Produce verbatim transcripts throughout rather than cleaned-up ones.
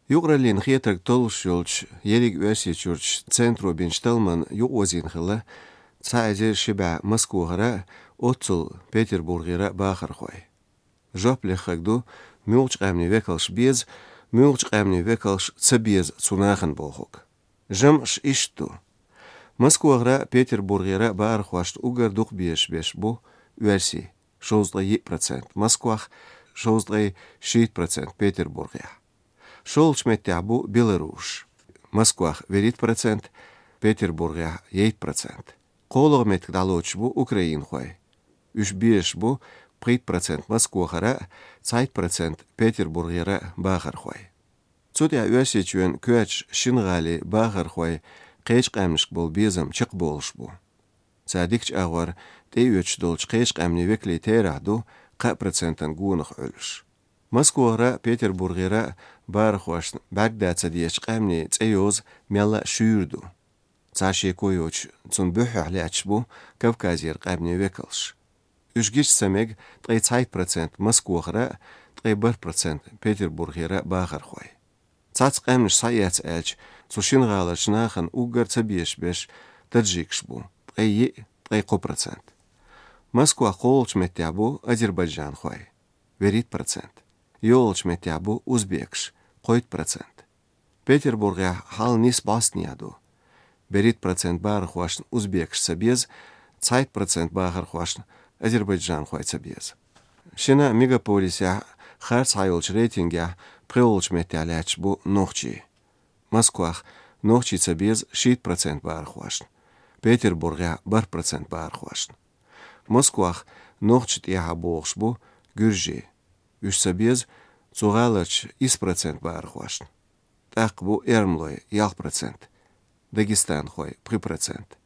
Юкъараллин хетарг толлуш йолчу ерриг Оьрсийчуьрчу центро бинчу талламан юкъаозийна хилла цхьа эзар ши бӀе Москвахара а, оццул Петербургера а бахархой. Жоп леххарг ду, муьлхачу къаьмнийн векалш беза, муьлхачу къаьмнийн векалш ца беза цу нахана бохург. ЖамӀаш иштта ду. Москвахара а, Петербургера а бахархошна уггар дукха безаш берш бу оьрсий, шовзткъе йиъ процент Москвахь, шовзткъе шийтта процент Петербургехь. ШолгӀачу меттехь бу белорусаш. Москвахь вуьрхӀитта процент, Петербургехь ейтта процент. КхоалгӀа меттиг дӀалоцуш бу украинхой. Уьш безаш бу пхийтта процент Москвахара а, цхьайтта процент Петербургера а бахархой. Цу тӀехь Оьрсийчоьнан коьртачу шина гӀалин бахархойн кхечу къаьмнашка болу безам чекхболуш бу. Цара дикачу агӀор тӀеоьцуш долчу кхечу къаьмнийн векалийн терахь ду кхаа процентан гонах Ӏуьллуш. Москвахара а, Петербургера а бахархошна бӀаьрг дан ца дезачу къаьмнийн цӀе йоза мелла а шуьйра ду. Цхьа шеко йоцуш, цунна буьххьехь лаьтташ бу Кавказера къаьмнийн векалш. Уьш гича ца мега ткъе цхьайтта процент Москвахара а, ткъе бархӀ процент Петербургера а бахархой. Цхьацца къаьмнаш схьаэцна аьлча, цу шина гӀаларчу нахана уггар ца безаш берш таджикаш бу, ткъе йиъ, ткъе кхо процент. Москвахь кхоалгӀачу меттехь бу азербайджанхой, вуьрхӀитта процент. ЙогӀучу меттехь бу узбекаш, кхойтта процент. Петербургехь хьал нийса бӀостанехьа ду. БуьрхӀитта процент бахархошна узбекаш ца беза, цхьайтта процент бахархошна азербайджанхой ца беза. Шина мегаполисехь харц схьайолчу рейтингехь пхоьалгӀачу меттехь лаьтташ бу нохчий. Москвахь нохчий ца беза шийтта процент бахархошна, Петербургехь бархӀ процент бахархошна. Москвахь нохчашна тӀехьа богӀуш бу гуьржий. Уьш ца беза цу гӀаларчу исс процент бахархошна. ТӀаккха бу эрмалой, ялх процент, дагестанхой, пхи процент.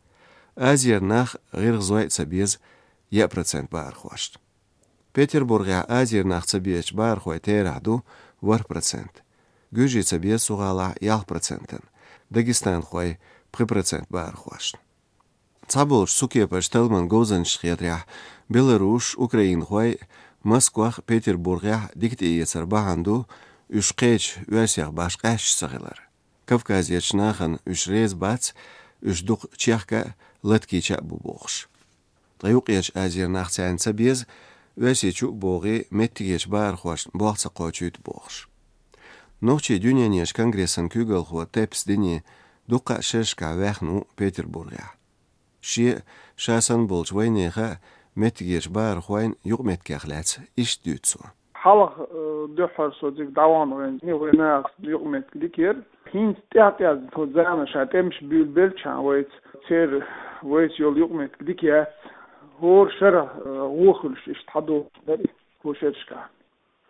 Азера нах, гӀиргӀазой а ца беза, яа процент бахархошна. Петербургехь азера нах ца безачу бахархойн терахь ду ворхӀ процент. Гуьржий ца беза цу гӀалахь ялх процентан, дагестанхой пхи процент бахархошна. Цхьаболчу цу кепарчу талламан говзанчашна хетарехь, белорусаш, украинхой Москвахь, Петербургехь дика тӀеэцар бахьана ду уьш кхечу оьрсех башха къаьсташ ца хилар. Кавказерчу нахана уьш реза бац, уьш дукха чехка а, латкийча а бу бохуш. Ткъа Юккъерчу Азера нах царна ца беза, Оьрсийчу а богӀий, меттигерчу бахархошна болх ца кхочуьйту бохуш. Нохчийн дуьненан конгрессан куьйгалхо Теппес Дени дуккха а шерашкахь ваьхна ву Петербургехь. Шен а, ша санна болчу вайнехан а меттигерчу бахархойн юкъаметтигех лаьцна иштта дуьйцу цо. Хьалха, э, дуьххьара со цига дӀавахана вайн, вайн нахаца юкъаметтиг дика яра. ХӀинца тӀаьхь-тӀаьхьа тхо зама ша тӀемаш буьйлабелчхьана вайца, церан вайца йолу юкъаметтиг дика яц. ХӀора шарахь, э, вон хуьлуш иштта хьадогӀуш дара и, кху шерашкахь.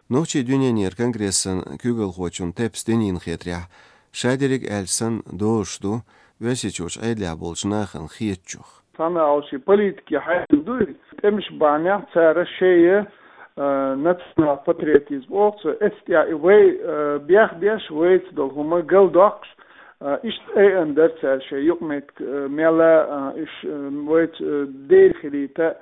Нохчийн дуьненан конгрессан куьйгалхочун Теппес Денин хетарехь, ша дерриг аьлча санна дозуш ду Оьрсийчуьрчу Ӏедалехь болчу нахана хетачух. Цхьана алши политики хьаьдда дуй, тӀемаш бахьанехь цара шея, э, национал-патриотизм оха цо, эцтӀехь и вай, э, бех беш, вайца долу хӀума галдоккхуш, э, иштта айъан дара цара шайн юкъаметтиг, э, мела, э, уьш, э, вайца, э, дера хилийта.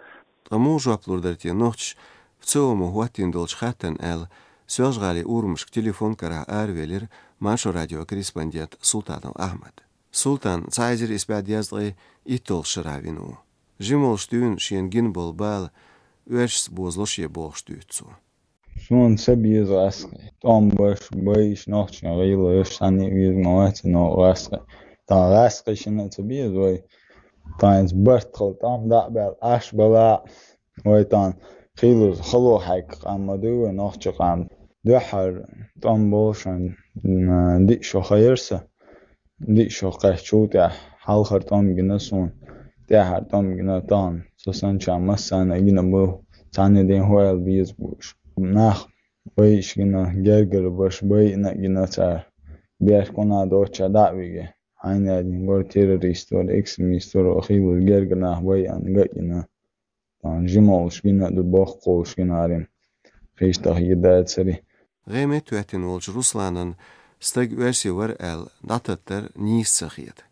Ткъа муха жоп лур дара те нохчаша ВЦИОМо хӀоттийна долчу хаттарна аьлла, Соьлжа-ГӀалин урамашка телефон карахь аравелира Маршо радион корреспондент Султанов Ахьмад. Султан цхьа эзар исс бӀе дезткъе итталгӀачу шарахь вина ву. Жималш дуьйна шена гина болу бала оьрсашца бозало шен бохуш дуьйцу цо. Суна ца беза гӀаскхий. ТӀом беш, байъаш нохчийн гӀийла йеш санна а веза ма вац, но гӀаскхий. Тхан гӀаскхий шина а ца беза вай. Тхан иза барт хила тӀом дӀа а баьлла, Ӏаш бала а. Вай тхан хийлаза хало хьаьгга къам ма дуй вай нохчийн къам. Дуьххьара тӀом болушан, м, диъ шо хайра сан. Диъ шо кхаьччул тӀаьхьа хьалхара тӀом гина суна, тӀаьхьара тӀом гина тахана. Со санначарна массарна а гина бу, цхьанне ден хӀоьлла беза бу уьш. Нах байъаш гина, гергара баш байъина а гина цара. Бехк хӀунда доцча дӀа а виге. Хьайна яздина гора террорист вара, экстремист вара, хийлаза гергара нах байъина, ган а гина. Тхан жималш гина а ду, боккхалш гина а рин. Хийштах йи дацари. ГӀе меттахӀоьттина волчу Русланан стаг оьрси вара аьлла дӀататтар нийса ца хета.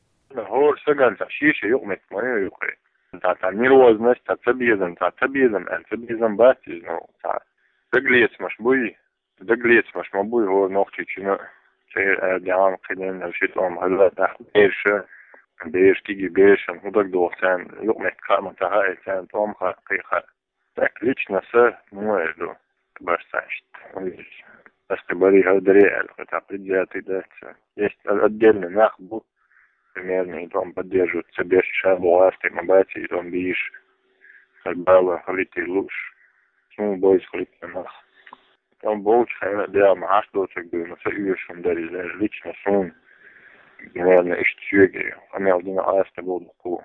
ХӀора стагана цхьа шен-шен юкъаметтиг ма ю юкъе. Цхьа, цхьа нервозность, цхьа цабезам, цхьа цабезам аьлла, цабезам бац иза, ну, цхьа дагалецамаш буй, дагалецамаш ма буй хӀора нохчичунна. бер а дян кхиден а ши тӀом хӀалла тахт берша, берш киги бершан худак дохсан, юкъ мет кама таха эцан тӀом хаккхи ха. Так лично са, ну, это, баш саншт. Ас бари хавдаре, а, хотя предвзятый, да, ца. Есть о- отдельный нах был, примерно, и там поддерживают себе шабуасты, мабати, и там биш. Как бала, халити луш. Ну, бойс халити нах. Там болч хайна, да, махаш дочек был, но са юшун дари, лично сун. Примерно, ишт сюги. Амел дина аста был ку.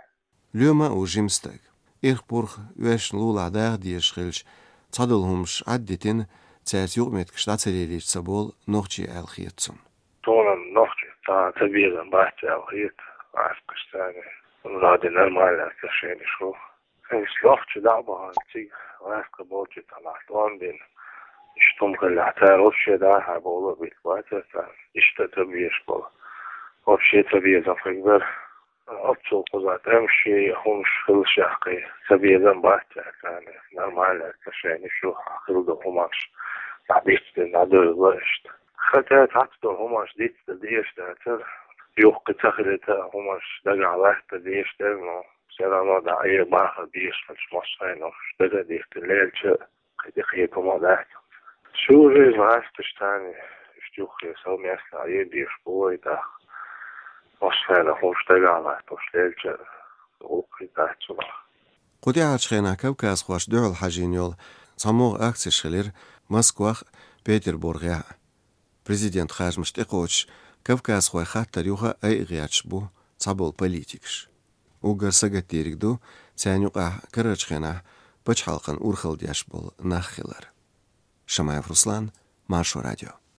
Лоьма а ву жима стаг. Ирх-пурх оьшна лулахь даха дезаш хилча, цхьадолу хӀумаш Ӏаддитина, цаьрца юкъаметтигаш дӀа ца лелийча ца болу нохчий аьлла хета цунна. Тхуна нохчий цхьа ца безам бац аьлла хета, гӀаскхаш царна. Ради нормальное отношение шу. Нохчий дӀа а бахана цига гӀаскхи болчу цхьа нах тӀом бина. Иштта хӀума хилла, цара вообще даха болу а битта бацара царна. Иштта ца безаш болу. Вообще ца безам хир дара. Оццул кхуза тӀемаш шен хӀумаш хилла шаьхкхий, ца безам бац аьлла, нормальное отношение шу хьан хилла ду хӀумаш, дӀа дицдина, дӀа дойла иштта. Хотя цхьацца долу хӀумаш дицдан дезаш дацара, юххе ца хилийта а хӀумаш дагахь латта дезаш дара, но всё равно дӀа э бахар безаш хилча, массо а хӀумаш дага а дицдина лелча, кхин тӀе кхета хӀума дац. Шу уже гӀаскхаш царна, иштта юххе совместно а е безаш бу вай тӀаккха. Массо а хӀумаш дагахь латтош лелча, гӀуллакхе дац цунах. Кху тӀаьхьарчу хенахь кавказхошна дуьхьал хьажийна йолу цхьамогӀа акцеш хилира Москвахь а, Петербургехь а. Президентан харжамаш тӀекхочуш, кавказхойн хаттар юха айа гӀерташ бу цхьаболу политикаш. Уггар сагатдийриг ду царна юкъахь карарчу хенахь пачхьалкхан урхалла деш болу нах хилар. Шамаев Руслан, Маршо радио.